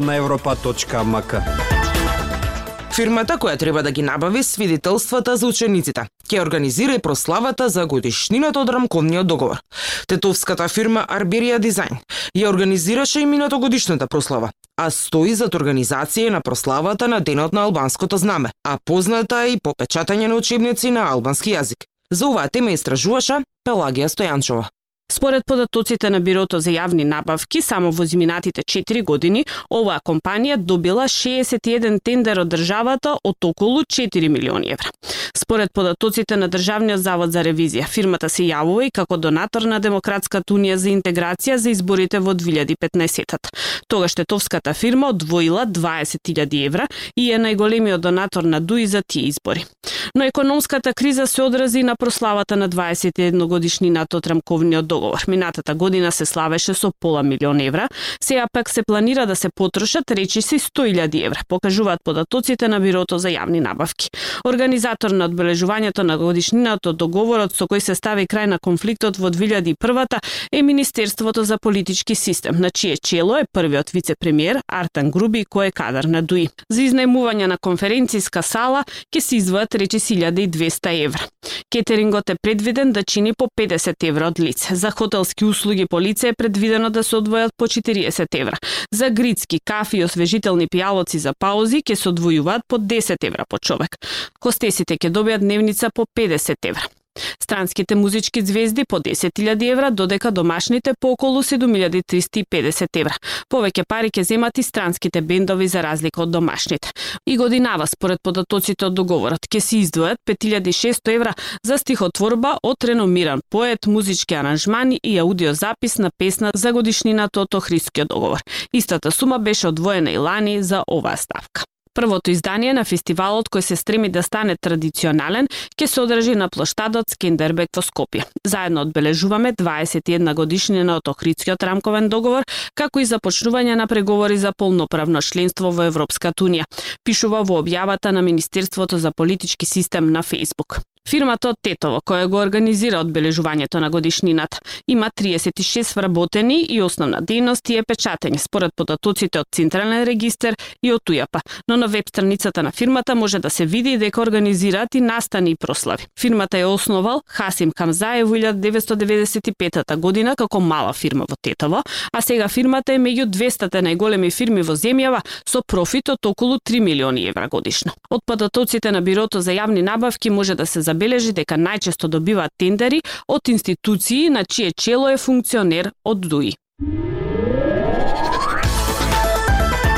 на европа.мк. Фирмата која треба да ги набави свидетелствата за учениците ќе организира и прославата за годишнината од рамковниот договор. Тетовската фирма Арберија Дизајн ја организираше и минатогодишната прослава, а стои зад организација на прославата на Денот на албанското знаме, а позната и по печатање на учебници на албански јазик. За оваа тема истражуваше Пелагија Стојанчова. Според податоците на Бирото за јавни набавки, само во изминатите 4 години, оваа компанија добила 61 тендер од државата од околу 4 милиони евра. Според податоците на Државниот завод за ревизија, фирмата се јавува и како донатор на Демократската унија за интеграција за изборите во 2015-тата. Тогаш тетовската фирма одвоила 20.000 евра и е најголемиот донатор на ДУИ за тие избори. Но економската криза се одрази на прославата на 21 годишнината од рамковниот договор. Минатата година се славеше со пола милион евра, сега пак се планира да се потрошат речиси 100.000 евра, покажуваат податоците на Бирото за јавни набавки. Организатор на одбележувањето на годишнината од договорот со кој се стави крај на конфликтот во 2001-та е Министерството за политички систем, на чие чело е првиот вице-премиер Артан Груби, кој е кадар на ДУИ. За изнајмување на конференцијска сала ќе се издвојат речиси 1200 евра. Кетерингот е предвиден да чини по 50 евра од лице. За хотелски услуги по лице е предвидено да се одвојат по 40 евра. За грицки, кафи и освежителни пијалоци за паузи ќе се одвојуваат по 10 евра по човек. Хостесите ќе добијат дневница по 50 евра. Странските музички звезди по 10.000 евра, додека домашните по околу 7.350 евра. Повеќе пари ќе земат и странските бендови за разлика од домашните. И годинава, според податоците од договорот, ќе се издвојат 5.600 евра за стихотворба од реномиран поет, музички аранжмани и аудиозапис на песна за годишнината од Охридскиот договор. Истата сума беше одвоена и лани за оваа ставка. Првото издание на фестивалот, кој се стреми да стане традиционален, ќе се одржи на плоштадот Скендербек во Скопје. Заедно одбележуваме 21 годишнина од Охридскиот рамковен договор, како и започнување на преговори за полноправно членство во Европската унија, пишува во објавата на Министерството за политички систем на Facebook. Фирмата од Тетово, која го организира одбележувањето на годишнината, има 36 вработени и основна дејност е печатење, според податоците од Централен регистер и од УЈАП, но на веб страницата на фирмата може да се види дека организираат и настани и прослави. Фирмата ја основал Хасим Хамзаев во 1995 година како мала фирма во Тетово, а сега фирмата е меѓу 200 најголеми фирми во земјава со профит од околу 3 милиони евра годишно. Од податоците на Бирото за јавни набавки може да се забележи дека најчесто добиваат тендери од институции на чие чело е функционер од ДУИ.